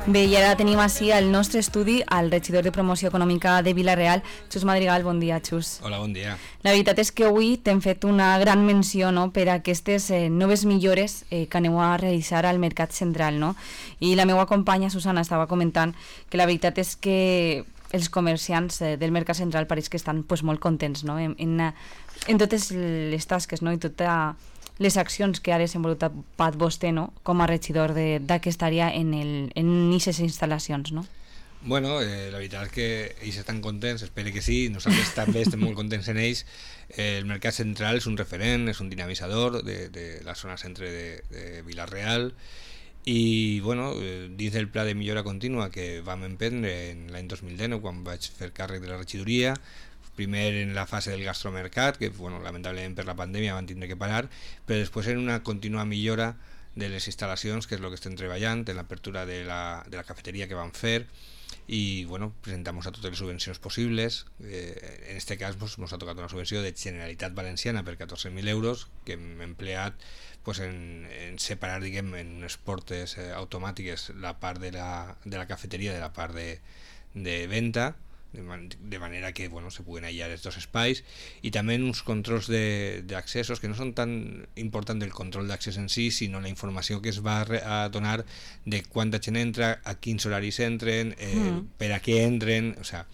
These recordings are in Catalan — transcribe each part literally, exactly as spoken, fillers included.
Bé, i ara tenim així al nostre estudi el regidor de Promoció Econòmica de Vila-real, Xus Madrigal. Bon dia, Xus. Hola, bon dia. La veritat és que avui t'hem fet una gran menció, no?, per a aquestes eh, noves millores eh, que aneu a realitzar al Mercat Central, no? I la meva companya Susana estava comentant que la veritat és que els comerciants eh, del Mercat Central pareix que estan pues, molt contents, no?, en, en, en totes les tasques, no?, i totes les accions que ha desenvolupat vostè, no?, com a regidor d'aquesta àrea en aquestes instal·lacions, no? Bueno, eh, la veritat és que ells estan contents, espero que sí, nosaltres també estem molt contents en ells. Eh, el Mercat Central és un referent, és un dinamitzador de, de la zona centre de, de Vila-real i bueno, eh, dins del pla de millora contínua que vam emprendre en l'any dos mil dinou quan vaig fer càrrec de la regidoria, primer en la fase del gastromercat, que bueno, lamentablement per la pandèmia van tindre que parar, però després en una contínua millora de les instal·lacions, que és el que estem treballant, en l'apertura de, la, de la cafeteria que vam fer, i bueno, presentamos a totes les subvencions possibles. Eh, en este cas ens pues, ha tocat una subvenció de Generalitat Valenciana per catorze mil euros que hem empleat pues, en, en separar, diguem, en unes portes eh, automàtiques la part de la, de la cafeteria de la part de, de venda, de, man de manera que bueno, se puguen aïllar els dos espais, i també uns controls d'accessos que no són tan importants el control d'accés en si, sinó la informació que es va a donar de quanta gent entra, a quins horaris entren, eh, mm. per a què entren, o sea,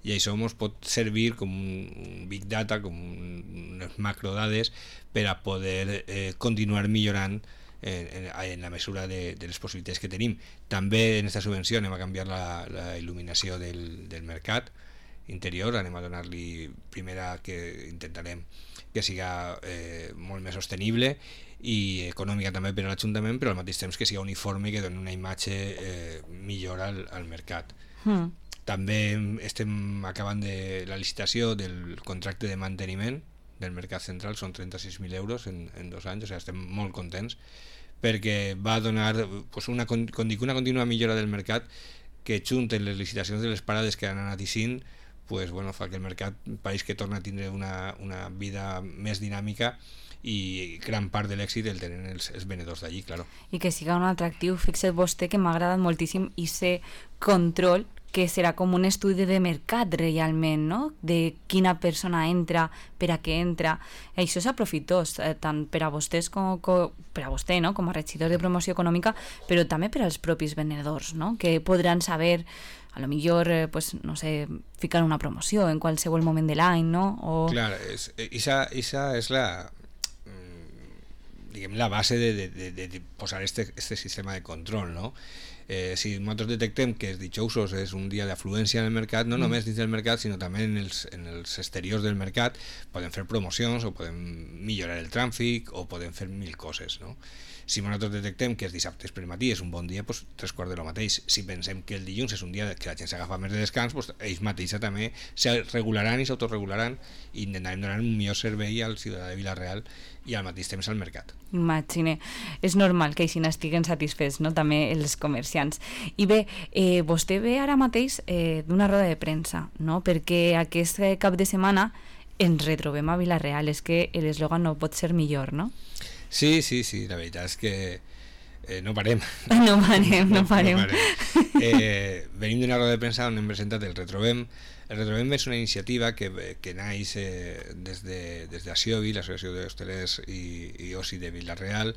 i això ens pot servir com un, un big data, com un, unes macrodades per a poder eh, continuar millorant En, en, en la mesura de, de les possibilitats que tenim. També en aquesta subvenció anem a canviar la, la il·luminació del, del mercat interior, anem a donar-li primera que intentarem que siga eh, molt més sostenible i econòmica també per a l'Ajuntament, però al mateix temps que siga uniforme i que doni una imatge eh, millor al, al mercat. Mm. També estem acabant de la licitació del contracte de manteniment del Mercat Central, són trenta-sis mil euros en, en dos anys, o sigui, estem molt contents perquè va donar pues, una, una contínua millora del mercat que junten les licitacions de les parades que han anat ixint, pues, bueno, fa que el mercat pareix que torna a tindre una, una vida més dinàmica i gran part de l'èxit el tenen els, els venedors d'allí, claro. I que siga un atractiu. Fixa't vostè que m'ha agradat moltíssim ese control que serà com un estudi de mercat realment, no?, de quina persona entra, per a què entra. Això és aprofitós, eh, tant per a vostès com, com per a vostè, no?, com a regidor de Promoció Econòmica, però també per als propis venedors, no?, que podran saber, a lo millor, eh, pues, no sé, ficar una promoció en qualsevol moment de l'any, no? O... Clar, és, esa, esa és la diguem, la base de, de, de, de posar este, este sistema de control, no? Eh, si nosaltres detectem que els dijousos és un dia d'afluència en el mercat, no mm. només dins del mercat, sinó també en els, en els exteriors del mercat, podem fer promocions o podem millorar el trànsit o podem fer mil coses, no? Si nosaltres detectem que els dissabtes per matí és un bon dia, doncs tres quarts de lo mateix. Si pensem que el dilluns és un dia que la gent s'agafa més de descans, doncs ells mateixos també se regularan i s'autorregularan i intentarem donar un millor servei al ciutadà de Vila-real i al mateix temps al mercat. Imagine, és normal que així n'estiguen satisfets, no?, també els comerciants. I bé, eh, vostè ve ara mateix eh, d'una roda de premsa, no?, perquè aquest cap de setmana ens retrobem a Vila-real, és que l'eslògan no pot ser millor, no? Sí, sí, sí, la veritat és que eh, no parem. No parem, no, no parem. No parem. Eh, venim d'una roda de premsa on hem presentat el Retrobem. El Retrobem és una iniciativa que, que naix eh, des de, des d'Aciovi, l'Associació d'Hostelers i, i Oci de Vila-real,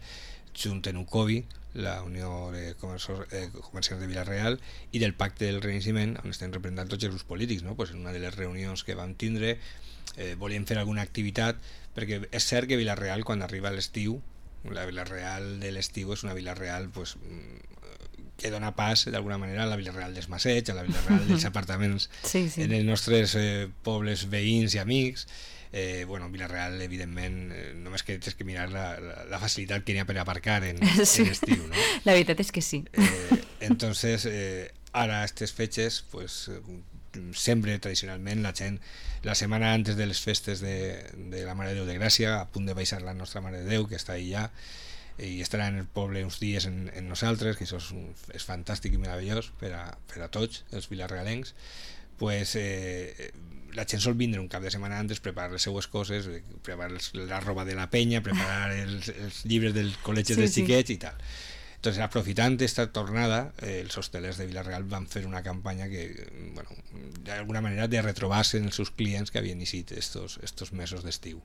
junt en UCOVI, la Unió de Comerciants de Vila-real, i del Pacte del Renaixement, on estem representant tots els grups polítics, no? Pues en una de les reunions que vam tindre eh, volíem fer alguna activitat, perquè és cert que Vila-real, quan arriba l'estiu, la Vila-real de l'estiu és una Vila-real pues, que dona pas d'alguna manera a la Vila-real dels Masseig, a la Vila-real dels apartaments sí, sí. en els nostres eh, pobles veïns i amics. Eh, bueno, Vila-real, evidentment, eh, només que tens que mirar la, la, la facilitat que n'hi ha per aparcar en, sí. en estiu, no? La veritat és que sí. Eh, entonces, eh, ara, aquestes fetges, pues, sempre, tradicionalment, la gent, la setmana antes de les festes de, de la Mare de Déu de Gràcia, a punt de baixar la nostra Mare de Déu, que està allà, i estarà en el poble uns dies en, en nosaltres, que això és, un, és fantàstic i meravellós per a, per a tots els vilarrealencs, pues, eh, la gent sol vindre un cap de setmana antes, preparar les seues coses, preparar la roba de la penya, preparar els, els llibres del col·legi sí, dels xiquets sí. i tal. Entonces, aprofitant esta tornada, eh, els hostelers de Vila-real van fer una campanya que, bueno, d'alguna manera de retrobar-se en els seus clients que havien eixit estos, estos mesos d'estiu.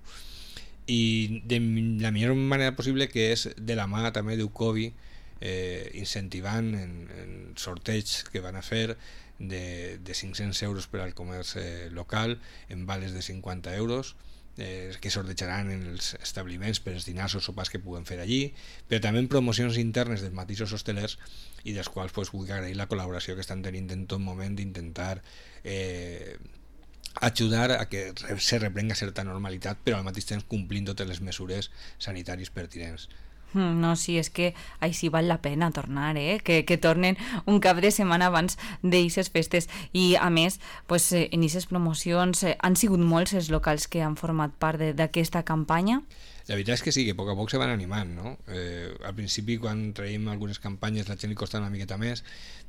I de la millor manera possible, que és de la mà també d'Ucovi, eh, incentivant en, en sorteig que van a fer de, de cinc-cents euros per al comerç eh, local, en vales de cinquanta euros, eh, que sortejaran en els establiments per els dinars o sopars que puguen fer allí, però també en promocions internes dels mateixos hostelers, i dels quals pues, vull agrair la col·laboració que estan tenint en tot moment d'intentar eh, ajudar a que se reprenga certa normalitat, però al mateix temps complint totes les mesures sanitàries pertinents. No, sí, és que així val la pena tornar, eh? que, que tornen un cap de setmana abans d'eixes festes. I a més, pues, en aquestes promocions eh, han sigut molts els locals que han format part d'aquesta campanya. La veritat és que sí, que a poc a poc se van animant, no? Eh, al principi, quan traiem algunes campanyes, la gent li costa una miqueta més,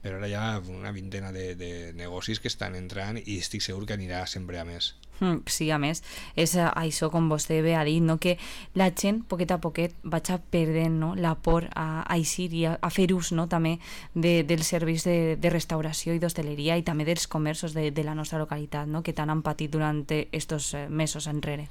però ara hi ha una vintena de, de negocis que estan entrant i estic segur que anirà sempre a més. Mm, sí, a més, és això, com vostè bé ha dit, no? Que la gent, poquet a poquet, vaig perdent, no? la por a, a eixir i a, a fer ús, no? també de, dels serveis de, de restauració i d'hostaleria i també dels comerços de, de la nostra localitat, no? que tant han patit durant estos mesos enrere.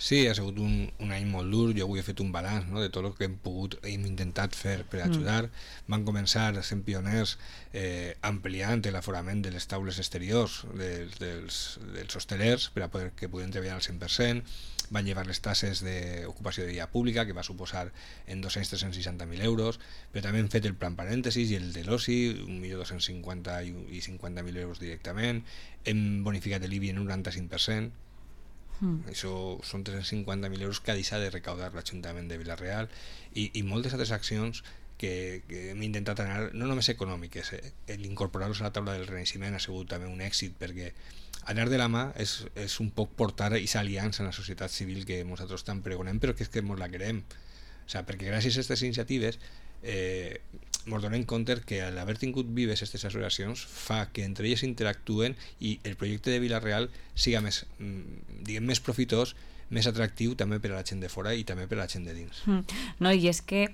Sí, ha sigut un, un any molt dur. Jo avui he fet un balanç, no?, de tot el que hem pogut, hem intentat fer per ajudar. Mm. Van començar sent pioners eh, ampliant l'aforament de les taules exteriors dels, dels, dels hostelers per a poder que puguen treballar al cent per cent. Van llevar les tasses d'ocupació de via pública, que va suposar en dos-cents a tres-cents seixanta mil euros, però també hem fet el plan parèntesis i el de l'oci, un milió dos-cents cinquanta i cinquanta mil euros directament. Hem bonificat l'I B I en un noranta-cinc per cent. Mm. Això són tres-cents cinquanta mil euros que ha deixat de recaudar l'Ajuntament de Vila-real i, i moltes altres accions que, que hem intentat anar, no només econòmiques, eh? l'incorporar-los a la taula del Renaixement ha sigut també un èxit, perquè anar de la mà és, és un poc portar aquesta aliança en la societat civil que nosaltres tant pregonem, però que és que ens la querem. O sigui, perquè gràcies a aquestes iniciatives eh, ens donem compte que l'haver tingut vives aquestes associacions fa que entre elles interactuen i el projecte de Vila-real siga més, diguem, més profitós, més atractiu també per a la gent de fora i també per a la gent de dins. No, i és que,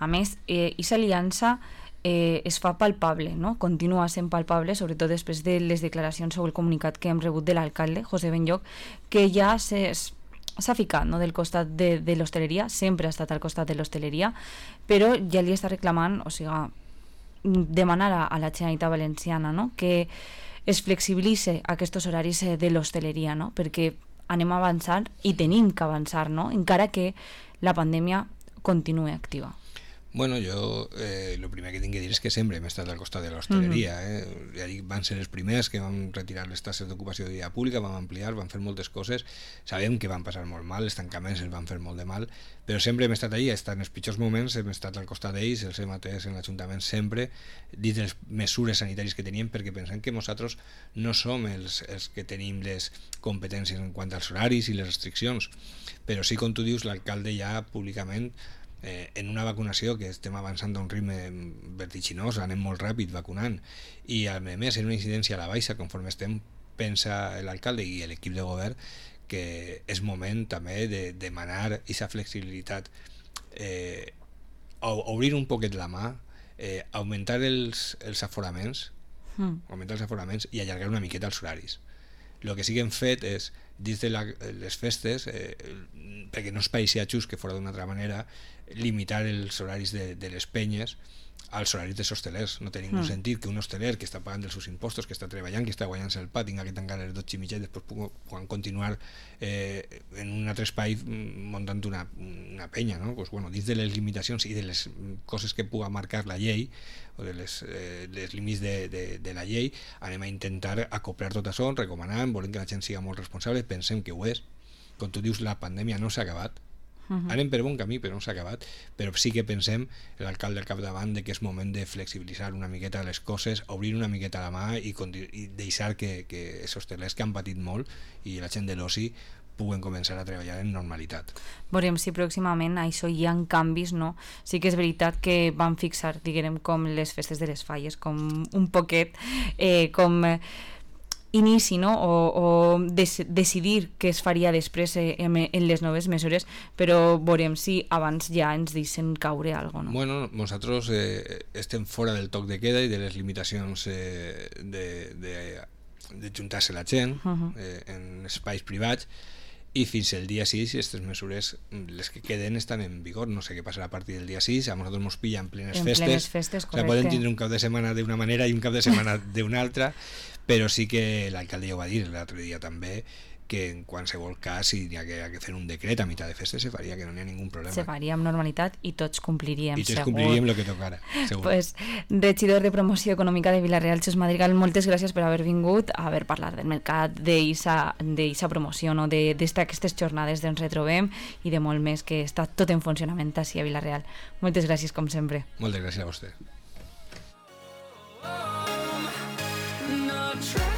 a més, aquesta eh, aliança eh, es fa palpable, no? Continua sent palpable, sobretot després de les declaracions o el comunicat que hem rebut de l'alcalde, José Benlloch, que ja s'és s'ha ficat, no?, del costat de, de l'hostaleria, sempre ha estat al costat de l'hostaleria, però ja li està reclamant, o sigui, demanar a, a la Generalitat Valenciana, no?, que es flexibilitze aquests horaris de l'hostaleria, no?, perquè anem a avançar i tenim que avançar, no?, encara que la pandèmia continue activa. Bueno, jo eh, el primer que tinc que dir és que sempre hem estat al costat de l'hostaleria. Eh? Ja dic, van ser els primers que van retirar les tasses d'ocupació de via pública, van ampliar, van fer moltes coses. Sabem que van passar molt mal, els tancaments els van fer molt de mal, però sempre hem estat allà, estat en els pitjors moments, hem estat al costat d'ells, els hem atès en l'Ajuntament sempre, dit les mesures sanitàries que teníem, perquè pensem que nosaltres no som els, els que tenim les competències en quant als horaris i les restriccions, però sí, com tu dius, l'alcalde ja públicament Eh, en una vacunació que estem avançant a un ritme vertiginós, anem molt ràpid vacunant, i a més en una incidència a la baixa conforme estem, pensa l'alcalde i l'equip de govern que és moment també de demanar aquesta flexibilitat, eh, obrir un poquet la mà, eh, augmentar els, els aforaments mm. augmentar els aforaments i allargar una miqueta els horaris. El que sí que hem fet és, dins de la, les festes, eh, perquè no es pareixia just que fora d'una altra manera, limitar els horaris de, de les penyes als horaris dels hostelers. No té ningú mm. sentit que un hosteler que està pagant els seus impostos, que està treballant, que està guanyant-se el pa, tinga que tancar les dotze i mitja i després puguin continuar eh, en un altre espai muntant una, una penya, no? Pues, bueno, dins de les limitacions i de les coses que puga marcar la llei o de les, eh, les límits de, de, de la llei, anem a intentar acoplar tot això, recomanant, volem que la gent siga molt responsable, pensem que ho és. Com tu dius, la pandèmia no s'ha acabat. Uh-huh. Anem per bon camí, però no s'ha acabat, però sí que pensem, l'alcalde al capdavant, de que és moment de flexibilitzar una miqueta les coses, obrir una miqueta la mà i, i deixar que, que els hostelers que han patit molt i la gent de l'oci puguen començar a treballar en normalitat. Veurem si pròximament això hi ha canvis, no? Sí que és veritat que van fixar, diguem, com les festes de les falles, com un poquet, eh, com... Eh, inici, no? o, o des, decidir què es faria després eh, en, en les noves mesures, però veurem si abans ja ens deixen caure alguna cosa. No? Bueno, nosaltres eh, estem fora del toc de queda i de les limitacions eh, de, de, de juntar-se la gent uh-huh. eh, en espais privats, i fins el dia sis aquestes mesures, les que queden, estan en vigor. No sé què passarà a partir del dia sis. A nosaltres ens pilla en plenes en festes, plenes festes o sigui, poden tindre un cap de setmana d'una manera i un cap de setmana d'una altra, però sí que l'alcalde ja ho va dir l'altre dia també, que en qualsevol cas, si hi ha que, ha que fer un decret a mitjà de festes, se faria, que no n'hi ha ningú problema. Se faria amb normalitat i tots compliríem, I tots segur. compliríem el que tocara, segur. Pues, regidor de Promoció Econòmica de Vila-real, Xus Madrigal, moltes gràcies per haver vingut a haver parlat del mercat, d'eixa promoció, no? d'aquestes jornades d'on retrobem i de molt més, que està tot en funcionament així a Vila-real. Moltes gràcies, com sempre. Moltes gràcies a vostè. Not try